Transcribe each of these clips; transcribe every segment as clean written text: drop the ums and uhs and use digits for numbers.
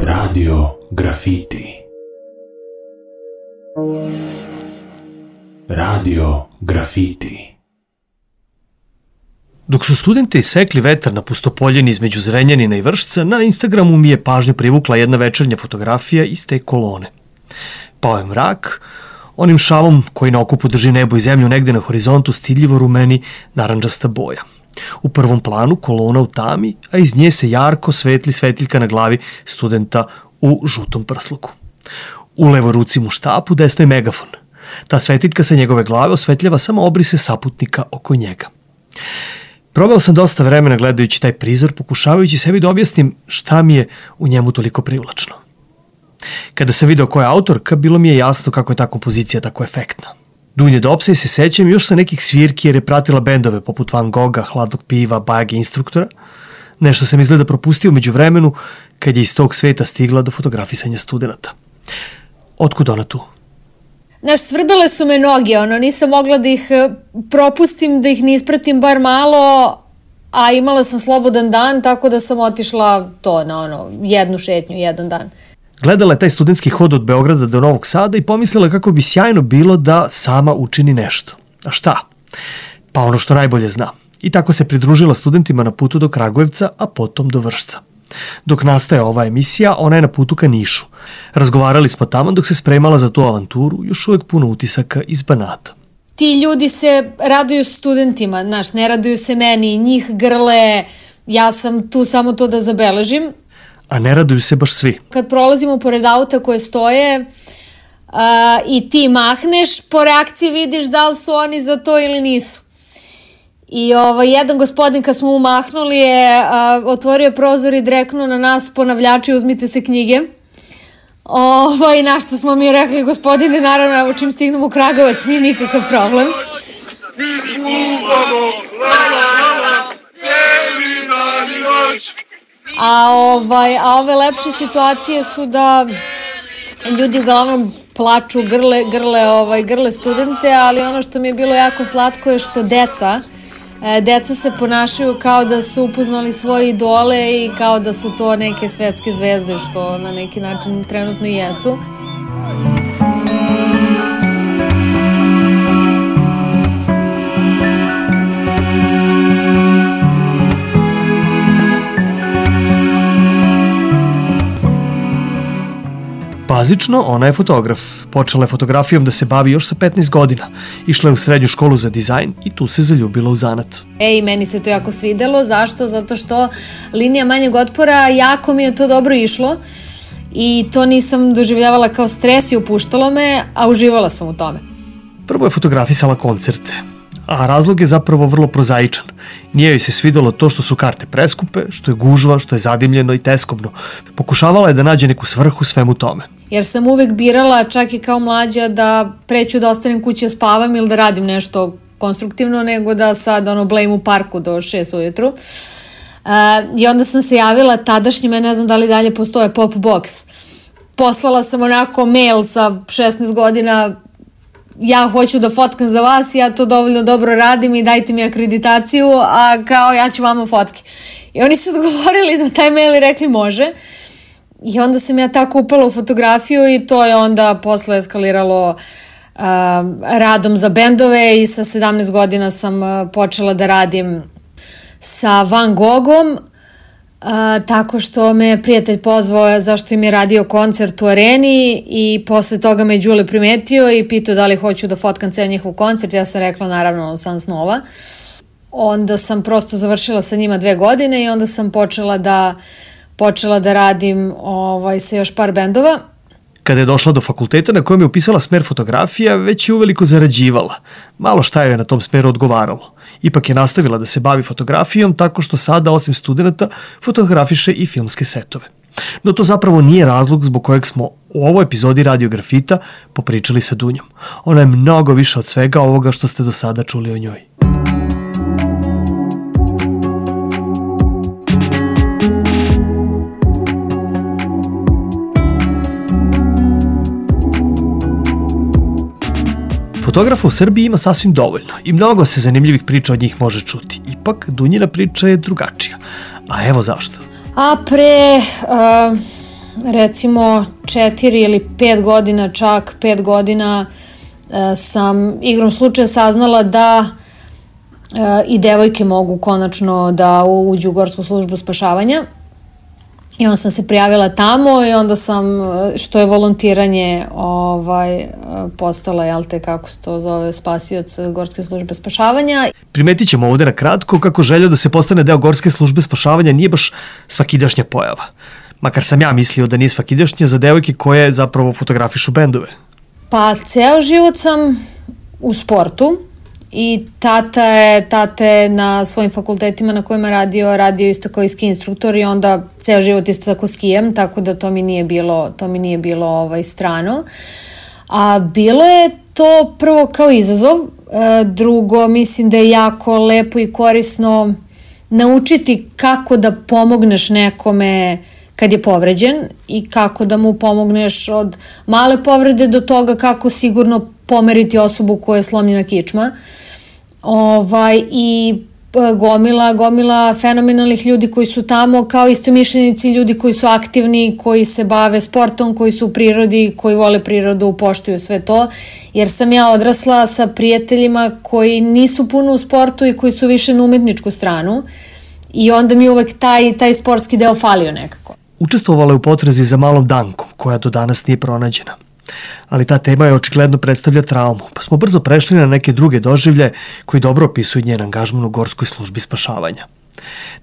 Radio Grafiti. Radio Grafiti. Dok su studenti sekli vetar na pustopoljini između Zrenjanina i Vršca, na Instagramu mi je pažnju privukla jedna večernja fotografija iz te kolone. Pao je mrak, onim šavom koji na okupu drži nebo i zemlju negde na horizontu stidljivo rumeni narandžasta boja. U prvom planu kolona u tami, a iz nje se jarko svetli svetiljka na glavi studenta u žutom prsluku. U levoj ruci mu štap, u desnoj megafon. Ta svetiljka sa njegove glave osvetljava samo obrise saputnika oko njega. Probao sam dosta vremena gledajući taj prizor, pokušavajući sebi da objasnim šta mi je u njemu toliko privlačno. Kada sam video koja je autorka, bilo mi je jasno kako je ta kompozicija tako efektna. Dunje Dopsa se sećam još sa nekih svirki jer je pratila bendove poput Van Gogha, Hladnog piva, Bajage Instruktora. Nešto sam izgleda propustio među vremenu kad je iz tog sveta stigla do fotografisanja studenta. Otkud ona tu? Znaš, svrbele su me noge, nisam mogla da ih propustim, da ih ne ispratim bar malo, a imala sam slobodan dan, tako da sam otišla to na jednu šetnju, jedan dan. Gledala je taj studentski hod od Beograda do Novog Sada i pomislila kako bi sjajno bilo da sama učini nešto. A šta? Pa ono što najbolje zna. I tako se pridružila studentima na putu do Kragujevca, a potom do Vršca. Dok nastaje ova emisija, ona je na putu ka Nišu. Razgovarali smo tamo dok se spremala za tu avanturu, još uvek puno utisaka iz Banata. Ti ljudi se raduju studentima, znaš, ne raduju se meni, njih grle, ja sam tu samo to da zabeležim. A ne raduju se baš svi. Kad prolazimo pored auta koje stoje i ti mahneš, po reakciji vidiš da li su oni za to ili nisu. I jedan gospodin kad smo mu mahnuli je otvorio prozor i dreknuo na nas: ponavljači, uzmite se knjige. Na što smo mi rekli: gospodine, naravno, evo čim stignemo u Kragujevac, nije nikakav problem. Mi kupamo, cijeli dan i noć. A ove lepše situacije su da ljudi uglavnom plaču, grle studente, ali ono što mi je bilo jako slatko je što deca se ponašaju kao da su upoznali svoje idole i kao da su to neke svetske zvezde, što na neki način trenutno i jesu. Bazično, ona je fotograf. Počela je fotografijom da se bavi još sa 15 godina. Išla je u srednju školu za dizajn i tu se zaljubila u zanat. Meni se to jako svidelo. Zašto? Zato što linija manjeg otpora, jako mi je to dobro išlo i to nisam doživljavala kao stres i opuštalo me, a uživala sam u tome. Prvo je fotografisala koncerte, a razlog je zapravo vrlo prozaičan. Nije joj se svidelo to što su karte preskupe, što je gužva, što je zadimljeno i teskobno. Pokušavala je da nađe neku svrhu svemu tome. Jer sam uvek birala, čak i kao mlađa, da preću da ostanem kući da spavam ili da radim nešto konstruktivno, nego da sad blejim u parku do 6 ujutru. I onda sam se javila tadašnjima, ne znam da li dalje postoje, Pop Box. Poslala sam mail sa 16 godina: ja hoću da fotkam za vas, ja to dovoljno dobro radim i dajte mi akreditaciju, a kao ja ću vama fotke. I oni su odgovorili na taj mail i rekli može. I onda sam ja tako upala u fotografiju i to je onda posle eskaliralo radom za bendove i sa 17 godina sam počela da radim sa Van Goghom, tako što me prijatelj pozvao zašto im je radio koncert u Areni i posle toga me Đule primetio i pitao da li hoću da fotkam ceo njihov koncert. Ja sam rekla naravno sam snova. Onda sam prosto završila sa njima 2 godine i onda sam počela da radim sa još par bendova. Kada je došla do fakulteta na kojem je upisala smer fotografija, već je uveliko zarađivala. Malo šta joj je na tom smeru odgovaralo. Ipak je nastavila da se bavi fotografijom tako što sada, osim studenta, fotografiše i filmske setove. No to zapravo nije razlog zbog kojeg smo u ovoj epizodi Radio Grafita popričali sa Dunjom. Ona je mnogo više od svega ovoga što ste do sada čuli o njoj. Fotografa u Srbiji ima sasvim dovoljno i mnogo se zanimljivih priča od njih može čuti. Ipak, Dunjina priča je drugačija. A evo zašto. A pre recimo 4 ili 5 godina, čak 5 godina, sam igrom slučaja saznala da i devojke mogu konačno da uđu u Gorsku službu spašavanja. I onda sam se prijavila tamo i onda sam, što je volontiranje, postala, kako se to zove, spasioc Gorske službe spašavanja. Primetit ćemo ovde na kratko kako želja da se postane deo Gorske službe spašavanja nije baš svakidašnja pojava. Makar sam ja mislio da nije svakidašnja za devojke koje zapravo fotografišu bendove. Pa ceo život sam u sportu i tata je na svojim fakultetima na kojima radio isto kao i ski instruktor i onda ceo život isto tako skijem, tako da to mi nije bilo strano. A bilo je to prvo kao izazov, drugo mislim da je jako lepo i korisno naučiti kako da pomogneš nekome kad je povređen i kako da mu pomogneš od male povrede do toga kako sigurno pomeriti osobu koja je slomljena kičma. I gomila fenomenalnih ljudi koji su tamo, kao istomišljenici, ljudi koji su aktivni, koji se bave sportom, koji su u prirodi, koji vole prirodu, poštuju sve to, jer sam ja odrasla sa prijateljima koji nisu puno u sportu i koji su više na umetničku stranu i onda mi uvek taj sportski deo falio nekako. Učestvovala je u potrazi za malom Dankom, koja do danas nije pronađena. Ali ta tema je očigledno predstavlja traumu, pa smo brzo prešli na neke druge doživlje koji dobro opisuju njen angažman u Gorskoj službi spašavanja.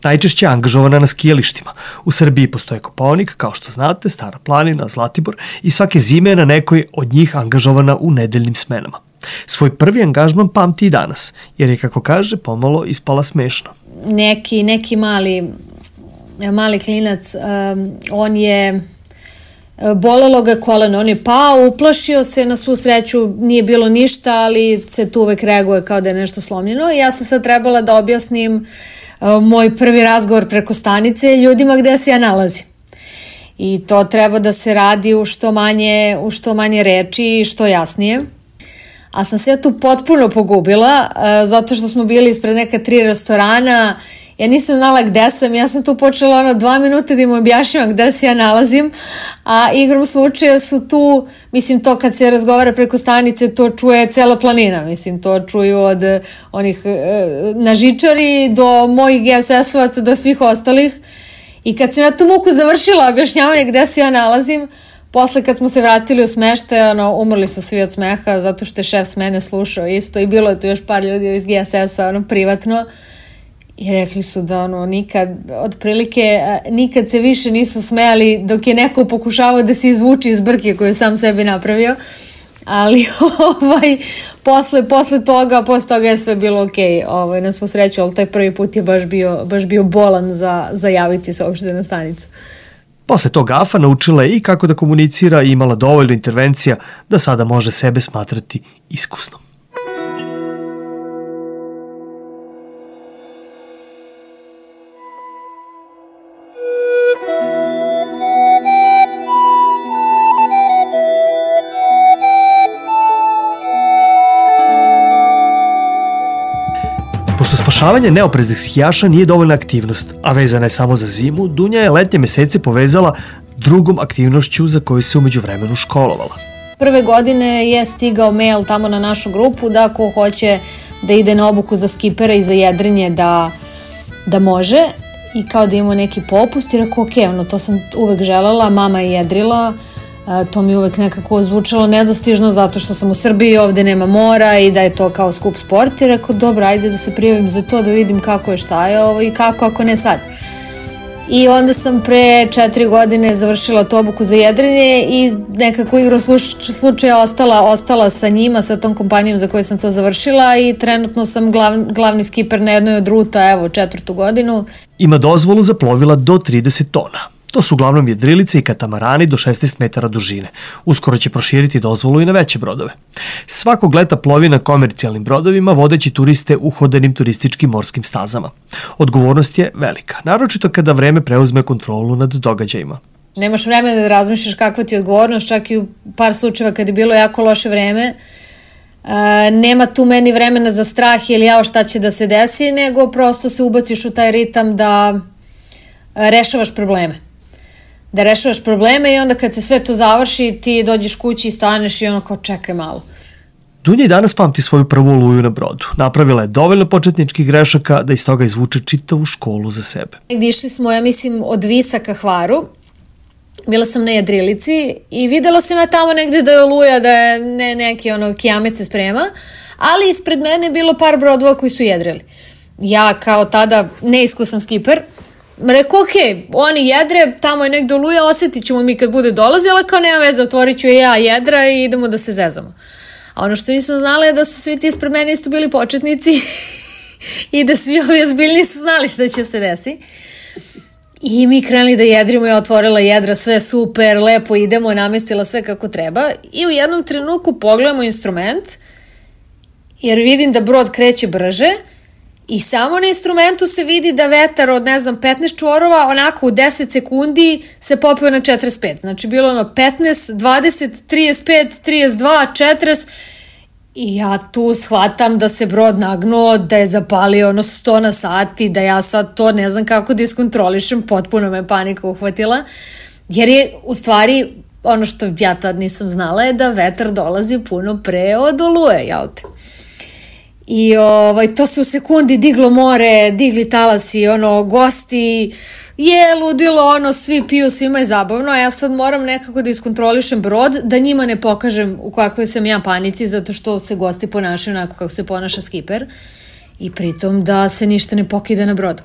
Najčešće je angažovana na skijalištima. U Srbiji postoje Kopaonik, kao što znate, Stara planina, Zlatibor i svake zime je na nekoj od njih angažovana u nedeljnim smenama. Svoj prvi angažman pamti i danas, jer je, kako kaže, pomalo ispala smešno. Neki mali klinac, on je bolelo ga koleno, on je pao, uplašio se, na svu sreću nije bilo ništa, ali se tu uvek reaguje kao da je nešto slomljeno i ja sam sad trebala da objasnim moj prvi razgovor preko stanice ljudima gde se ja nalazim. I to treba da se radi u što manje reči i što jasnije. A sam se ja tu potpuno pogubila, zato što smo bili ispred neka 3 restorana. Ja nisam znala gde sam, ja sam tu počela 2 minuta da im objašnjavam gde se ja nalazim, a igrom slučaja su tu, mislim to kad se razgovara preko stanice, to čuje cela planina, mislim to čuju od onih na žičari do mojih GSS-ovaca do svih ostalih i kad sam ja tu muku završila objašnjavanje gde se ja nalazim, posle kad smo se vratili u smeštaj, umrli su svi od smeha zato što je šef s mene slušao isto i bilo je tu još par ljudi iz GSS-a privatno. I rekli su da nikad se više nisu smejali dok je neko pokušavao da se izvuči iz brke koju je sam sebi napravio. Ali posle toga je sve bilo okej, na svu sreću, ali taj prvi put je baš bio bolan za javiti se uopšte na stanicu. Posle tog gafa naučila je i kako da komunicira i imala dovoljno intervencija da sada može sebe smatrati iskusnom. Pošto spašavanje neopreznih skijaša nije dovoljna aktivnost, a vezana je samo za zimu, Dunja je letnje mesece povezala drugom aktivnošću za koju se umeđu vremenu školovala. Prve godine je stigao mail tamo na našu grupu da ko hoće da ide na obuku za skipera i za jedrenje da može i kao da imamo neki popust i rekao to sam uvek želela, mama je jedrila, to mi uvek nekako zvučalo nedostižno zato što sam u Srbiji, ovde nema mora i da je to kao skup sport i rekao dobro, ajde da se prijavim za to da vidim kako je, šta je i kako ako ne sad. I onda sam pre 4 godine završila tu obuku za jedrenje i nekako igrom slučaja ostala sa njima, sa tom kompanijom za koju sam to završila i trenutno sam glavni skiper na jednoj od ruta, 4. godinu. Ima dozvolu za plovila do 30 tona. To su uglavnom jedrilice i katamarani do 16 metara dužine. Uskoro će proširiti dozvolu i na veće brodove. Svakog leta plovi na komercijalnim brodovima vodeći turiste uhodanim turističkim morskim stazama. Odgovornost je velika, naročito kada vreme preuzme kontrolu nad događajima. Nemaš vremena da razmišljaš kakva ti je odgovornost, čak i u par slučajeva kad je bilo jako loše vreme. Nema tu meni vremena za strah ili šta će da se desi, nego prosto se ubaciš u taj ritam da rešavaš probleme. Da rešavaš probleme i onda kad se sve to završi, ti dođeš kući i staneš i ono kao čekaj malo. Dunja i danas pamti svoju prvu oluju na brodu. Napravila je dovoljno početničkih grešaka da iz toga izvuče čitavu školu za sebe. Išli smo, ja mislim, od Visa ka Hvaru. Bila sam na jedrilici i videla sam ja tamo negde da je oluja, da je neki kijamet se sprema, ali ispred mene je bilo par brodova koji su jedrili. Ja kao tada neiskusan skiper, rekao, oni jedre, tamo je negde oluja, osjetit ćemo mi kad bude dolazila, kao nema veze, otvorit ću ja jedra i idemo da se zezamo. A ono što nisam znala je da su svi ti ispred mene isto bili početnici i da svi ovi ozbiljni su znali šta će se desi. I mi krenuli da jedrimo, ja otvorila jedra, sve super, lepo idemo, namestila sve kako treba i u jednom trenutku pogledamo instrument jer vidim da brod kreće brže i samo na instrumentu se vidi da vetar od 15 čvorova onako u 10 sekundi se popio na 45. Znači bilo 15, 20, 35, 32, 40 i ja tu shvatam da se brod nagnuo, da je zapalio 100 na sat i da ja sad to ne znam kako da iskontrolišem, potpuno me panika uhvatila, jer je u stvari ono što ja tad nisam znala je da vetar dolazi puno pre od oluje, jaute. I to se u sekundi diglo more, digli talasi, gosti, je ludilo, svi piju, svima je zabavno, a ja sad moram nekako da iskontrolišem brod, da njima ne pokažem u kakvoj sam ja panici, zato što se gosti ponašaju onako kako se ponaša skiper i pritom da se ništa ne pokida na brodu.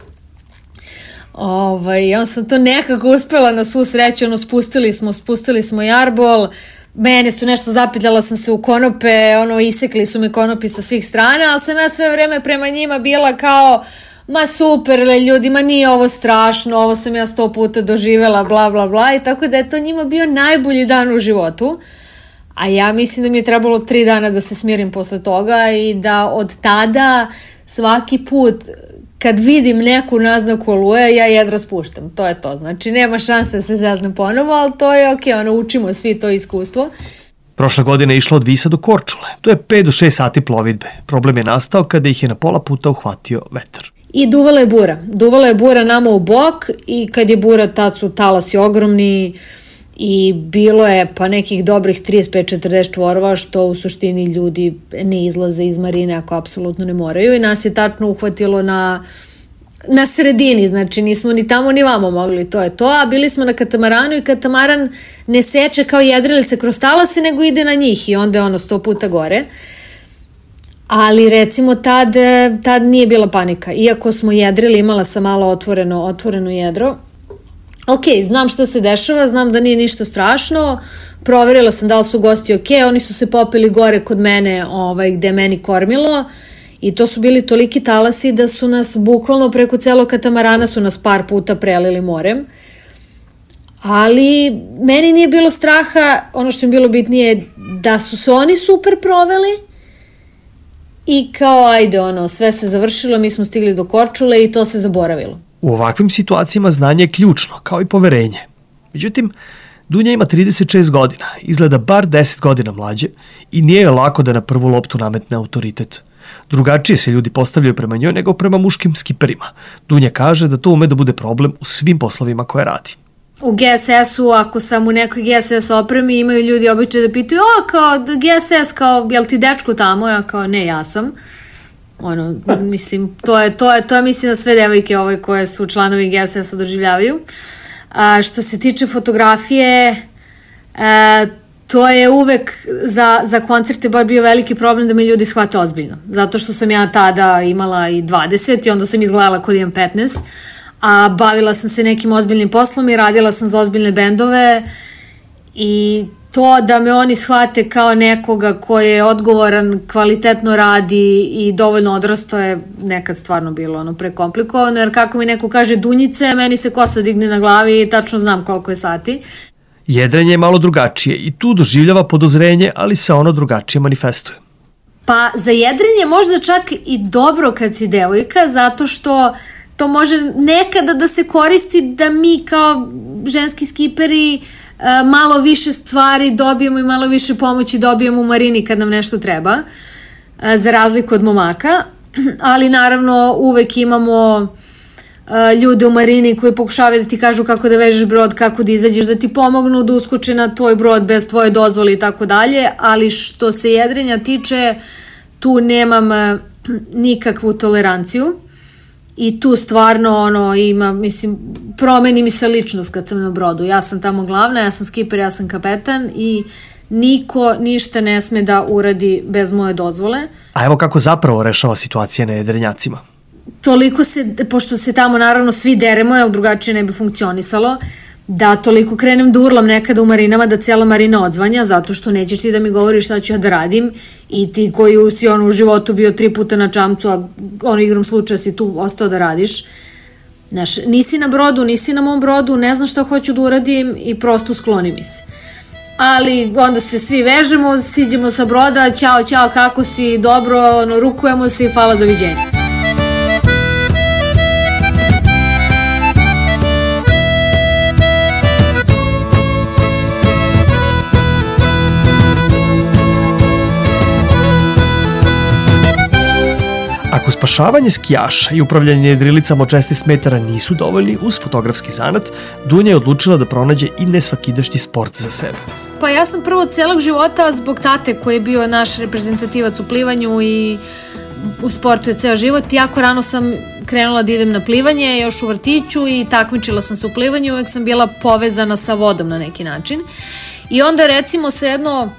Ja sam to nekako uspela na svu sreću, spustili smo jarbol, mene su nešto zapetljala sam se u konope, isekli su mi konopi sa svih strana, ali sam ja sve vreme prema njima bila kao, ma super ljudi, ma nije ovo strašno, ovo sam ja 100 puta doživela, bla bla bla, i tako da je to njima bio najbolji dan u životu, a ja mislim da mi je trebalo 3 dana da se smirim posle toga i da od tada svaki put kad vidim neku naznaku oluje, ja jedra spuštam, to je to, znači nema šanse da se zeznem ponovo, ali to je okej, učimo svi to iskustvo. Prošle godine je išla od Visa do Korčule, to je 5 do 6 sati plovidbe. Problem je nastao kada ih je na pola puta uhvatio vetar. I duvala je bura nama u bok i kad je bura tad su talasi ogromni i bilo je pa nekih dobrih 35-40 čvorova što u suštini ljudi ne izlaze iz marine ako apsolutno ne moraju i nas je tačno uhvatilo na sredini, znači nismo ni tamo ni vamo mogli, to je to, a bili smo na katamaranu i katamaran ne seče kao jedrilice kroz talase nego ide na njih i onda je 100 puta gore. Ali recimo tad nije bila panika, iako smo jedrili, imala sam malo otvoreno jedro. Znam šta se dešava, znam da nije ništa strašno, proverila sam da li su gosti oni su se popeli gore kod mene gde je meni kormilo i to su bili toliki talasi da su nas bukvalno preko celog katamarana su nas par puta prelili morem. Ali meni nije bilo straha, ono što mi bilo bitnije je da su se oni super proveli i kao ajde sve se završilo, mi smo stigli do Korčule i to se zaboravilo. U ovakvim situacijama znanje je ključno, kao i poverenje. Međutim, Dunja ima 36 godina, izgleda bar 10 godina mlađe i nije joj lako da na prvu loptu nametne autoritet. Drugačije se ljudi postavljaju prema njoj nego prema muškim skiperima. Dunja kaže da to ume da bude problem u svim poslovima koje radi. U GSS-u, ako sam u nekoj GSS opremi, imaju ljudi običaj da pitaju, kao GSS, kao, jel ti dečko tamo? Ja kao, ne, ja sam. Mislim, to je mislim da sve devojke koje su članovi GSS-a doživljavaju. Što se tiče fotografije, to je uvek za koncerte bar bio veliki problem da me ljudi shvate ozbiljno. Zato što sam ja tada imala i 20 i onda sam izgledala kod imam 15, a bavila sam se nekim ozbiljnim poslom i radila sam za ozbiljne bendove i to da me oni shvate kao nekoga koji je odgovoran, kvalitetno radi i dovoljno odrastao je nekad stvarno bilo prekomplikovano, jer kako mi neko kaže Dunjice, meni se kosa digne na glavi i tačno znam koliko je sati. Jedrenje je malo drugačije i tu doživljava podozrenje, ali se ono drugačije manifestuje. Pa za jedrenje možda čak i dobro kad si devojka, zato što to može nekada da se koristi da mi kao ženski skiperi malo više stvari dobijemo i malo više pomoći dobijemo u marini kad nam nešto treba, za razliku od momaka, ali naravno uvek imamo ljude u marini koji pokušavaju da ti kažu kako da vežeš brod, kako da izađeš, da ti pomognu da uskoči na tvoj brod bez tvoje dozvole i tako dalje, ali što se jedrenja tiče, tu nemam nikakvu toleranciju i tu stvarno ima, mislim, promeni mi se ličnost kad sam na brodu. Ja sam tamo glavna, ja sam skiper, ja sam kapetan i niko ništa ne sme da uradi bez moje dozvole. A evo kako zapravo rešava situacija na jedrenjacima. Toliko se, pošto se tamo naravno svi deremo, jer drugačije ne bi funkcionisalo, da toliko krenem da urlam nekada u marinama da cijela marina odzvanja, zato što nećeš ti da mi govoriš šta ću ja da radim i ti koji si u životu bio 3 puta na čamcu, a igrom slučaja si tu ostao da radiš. Znaš, nisi na brodu, nisi na mom brodu, ne znam šta hoću da uradim i prosto skloni mi se. Ali onda se svi vežemo, siđemo sa broda, ćao, kako si, dobro, rukujemo se i hvala, doviđenja. Ako spašavanje skijaša i upravljanje jedrilicama od 16 metara nisu dovoljni uz fotografski zanat, Dunja je odlučila da pronađe i nesvakidašnji sport za sebe. Pa ja sam prvo celog života zbog tate koji je bio naš reprezentativac u plivanju i u sportu je ceo život. Jako rano sam krenula da idem na plivanje, još u vrtiću i takmičila sam se u plivanju, uvek sam bila povezana sa vodom na neki način. I onda recimo se jedno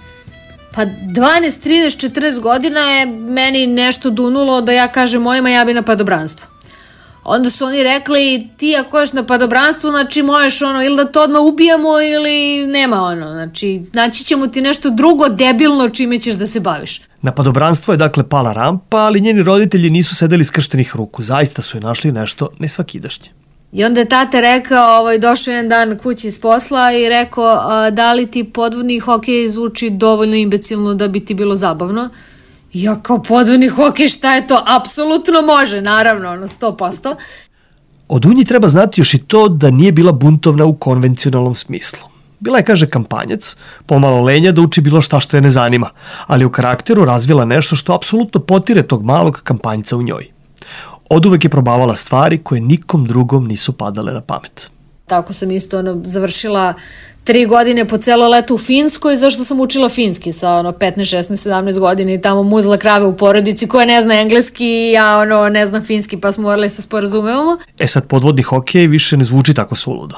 12, 13, 14 godina je meni nešto dunulo da ja kažem mojima ja bi na padobranstvo. Onda su oni rekli ti ako ješ na padobranstvo, znači možeš ili da to odmah ubijamo ili nema znači naći ćemo ti nešto drugo debilno čime ćeš da se baviš. Na padobranstvo je dakle pala rampa, ali njeni roditelji nisu sedeli skrštenih ruku, zaista su je našli nešto nesvakidašnje. I onda je tate rekao, došao jedan dan kući iz posla i rekao da li ti podvodni hokej zvuči dovoljno imbecilno da bi ti bilo zabavno? Ja kao podvodni hokej, šta je to? Apsolutno može, naravno, 100%. O Dunji treba znati još i to da nije bila buntovna u konvencionalnom smislu. Bila je, kaže, kampanjac, pomalo lenja da uči bilo šta što je ne zanima, ali u karakteru razvila nešto što apsolutno potire tog malog kampanjca u njoj. Oduvek je probavala stvari koje nikom drugom nisu padale na pamet. Tako sam isto završila 3 godine po celo leto u Finskoj, zašto sam učila finski sa 15, 16, 17 godina i tamo muzla krave u porodici koja ne zna engleski, ja ne znam finski, pa smo morali se sporazumevamo. Sad podvodni hokej više ne zvuči tako suludo.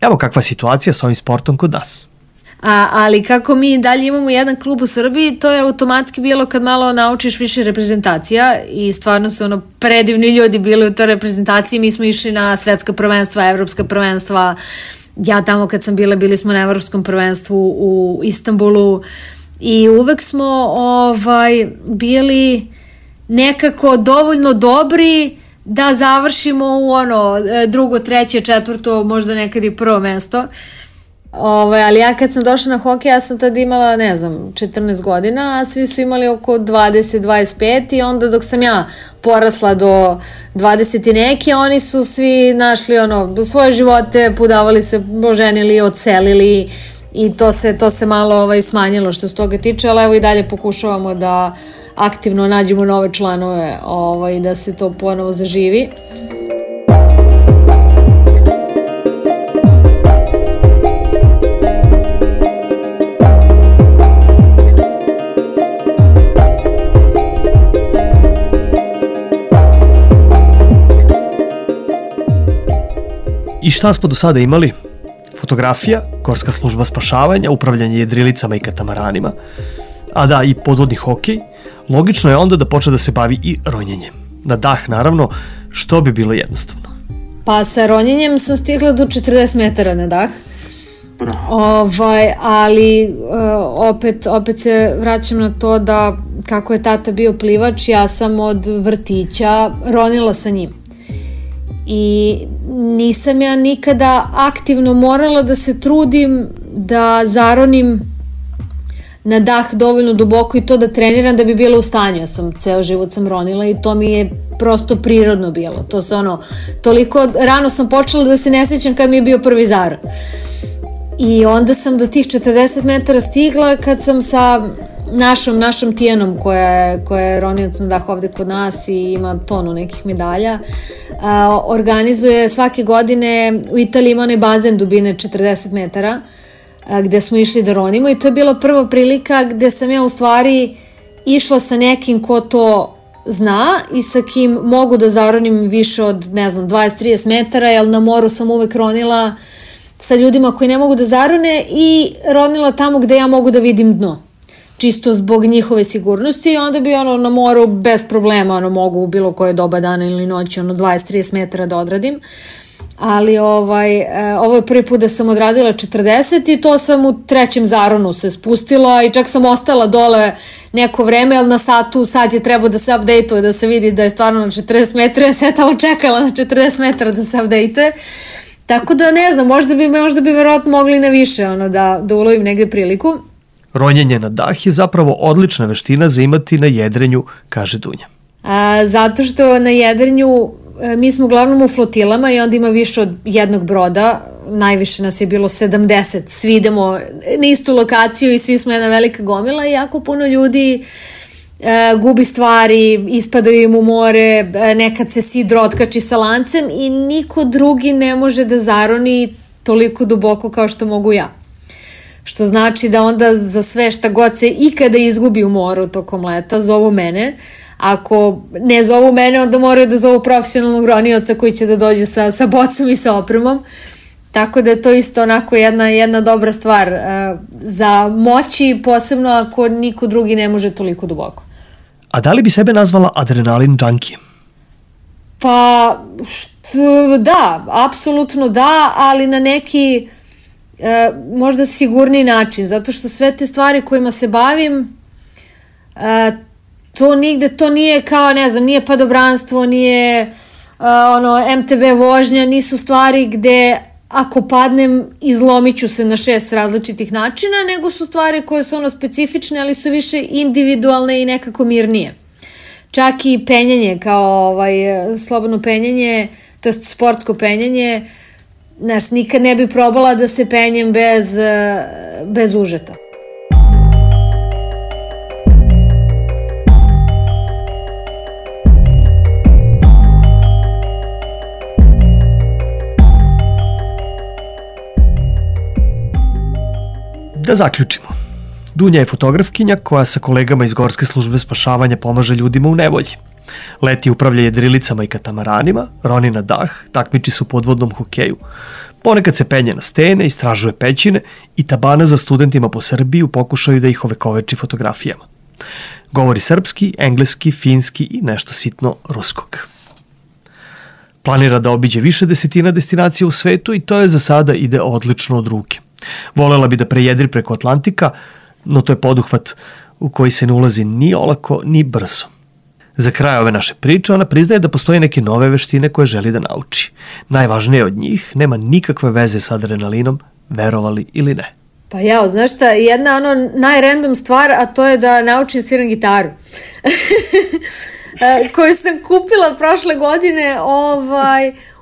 Evo kakva je situacija sa ovim sportom kod nas. Ali kako mi dalje imamo jedan klub u Srbiji, to je automatski bilo kad malo naučiš više reprezentacija i stvarno su predivni ljudi bili u toj reprezentaciji. Mi smo išli na svetska prvenstva, evropska prvenstva. Ja tamo kad sam bila, bili smo na evropskom prvenstvu u Istanbulu i uvek smo bili nekako dovoljno dobri da završimo u drugo, treće, četvrto, možda nekad i prvo mesto. Ali ja kad sam došla na hokej, ja sam tada imala, 14 godina, a svi su imali oko 20-25 i onda dok sam ja porasla do 20 i neke, oni su svi našli svoje živote, pudavali se, oženili, odselili i to se malo smanjilo što se toga tiče, ali evo i dalje pokušavamo da aktivno nađemo nove članove i da se to ponovo zaživi. I šta smo do sada imali? Fotografija, gorska služba spašavanja, upravljanje jedrilicama i katamaranima, a da i podvodni hokej, logično je onda da počne da se bavi i ronjenjem. Na dah, naravno, što bi bilo jednostavno. Pa sa ronjenjem sam stigla do 40 metara na dah. Ali opet se vraćam na to da kako je tata bio plivač, ja sam od vrtića ronila sa njim. I nisam ja nikada aktivno morala da se trudim da zaronim na dah dovoljno duboko i to da treniram da bi bila u stanju. Ja sam ceo život sam ronila i to mi je prosto prirodno bilo. To se toliko rano sam počela da se ne sjećam kad mi je bio prvi zaron. I onda sam do tih 40 metara stigla kad sam sa našom Tijanom koja je ronilac na dah ovde kod nas i ima tonu nekih medalja, organizuje svake godine u Italiji ima onaj bazen dubine 40 metara gde smo išli da ronimo i to je bila prva prilika gde sam ja u stvari išla sa nekim ko to zna i sa kim mogu da zaronim više od, 20-30 metara, jer na moru sam uvek ronila sa ljudima koji ne mogu da zarone i ronila tamo gde ja mogu da vidim dno. Čisto zbog njihove sigurnosti i onda bi na moru bez problema mogu u bilo koje doba dana ili noći 20-30 metara da odradim. Ali ovo je prvi put da sam odradila 40 i to sam u trećem zaronu se spustila i čak sam ostala dole neko vreme, ali na sat je trebao da se update-uje, da se vidi da je stvarno na 40 metara, ja sam tamo čekala na 40 metara da se update-uje. Tako da ne znam, možda bi verovatno mogli na više da ulovim negde priliku. Ronjenje na dah je zapravo odlična veština za imati na jedrenju, kaže Dunja. Zato što na jedrenju mi smo uglavnom u flotilama i onda ima više od jednog broda, najviše nas je bilo 70, svi idemo na istu lokaciju i svi smo jedna velika gomila i jako puno ljudi gubi stvari, ispadaju im u more, nekad se sidro otkači sa lancem i niko drugi ne može da zaroni toliko duboko kao što mogu ja. Što znači da onda za sve šta god se ikada izgubi u moru tokom leta zovu mene. Ako ne zovu mene, onda moraju da zovu profesionalnog ronioca koji će da dođe sa bocom i sa opremom. Tako da je to isto onako jedna dobra stvar za moći, posebno ako niko drugi ne može toliko duboko. A da li bi sebe nazvala adrenalin junkie? Pa, da, apsolutno da, ali na neki možda sigurniji način, zato što sve te stvari kojima se bavim, to nije kao, nije padobranstvo, nije MTB vožnja, nisu stvari gde ako padnem izlomit ću se na 6 različitih načina, nego su stvari koje su specifične, ali su više individualne i nekako mirnije. Čak i penjanje, kao slobodno penjanje, to je sportsko penjanje, nikad ne bi probala da se penjem bez užeta. Da zaključimo. Dunja je fotografkinja koja sa kolegama iz Gorske službe spašavanja pomaže ljudima u nevolji. Leti upravlja jedrilicama i katamaranima, roni na dah, takmiči se u podvodnom hokeju. Ponekad se penje na stene, istražuje pećine i tabana za studentima po Srbiji u pokušaju da ih ovekoveči fotografijama. Govori srpski, engleski, finski i nešto sitno ruskog. Planira da obiđe više desetina destinacija u svetu i to je za sada ide odlično od ruke. Volela bi da prejedri preko Atlantika, no to je poduhvat u koji se ne ulazi ni olako ni brzo. Za kraj ove naše priče ona priznaje da postoje neke nove veštine koje želi da nauči. Najvažnije od njih nema nikakve veze sa adrenalinom, verovali ili ne. Pa znaš šta, jedna najrandom stvar, a to je da naučim sviram gitaru. Koju sam kupila prošle godine,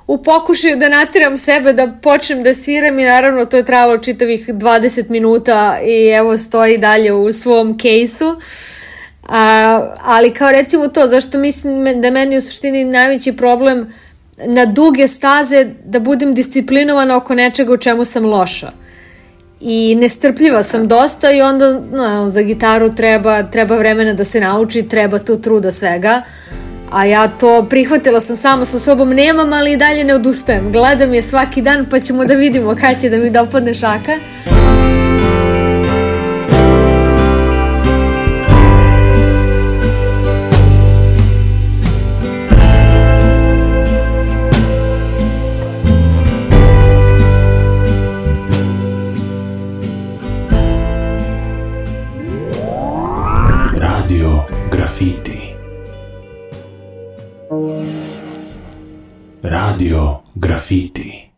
u pokušaju da natiram sebe da počnem da sviram i naravno to je trajalo čitavih 20 minuta i evo stoji dalje u svom kejsu. Ali kao recimo to, zašto mislim da meni u suštini najveći problem na duge staze da budem disciplinovana oko nečega u čemu sam loša. I nestrpljiva sam dosta i onda za gitaru treba vremena da se nauči, treba tu truda svega. A ja to prihvatila sam sama sa sobom, nemam, ali i dalje ne odustajem. Gledam je svaki dan pa ćemo da vidimo kad će da mi dopadne šaka. Radio Graffiti. Radio Graffiti.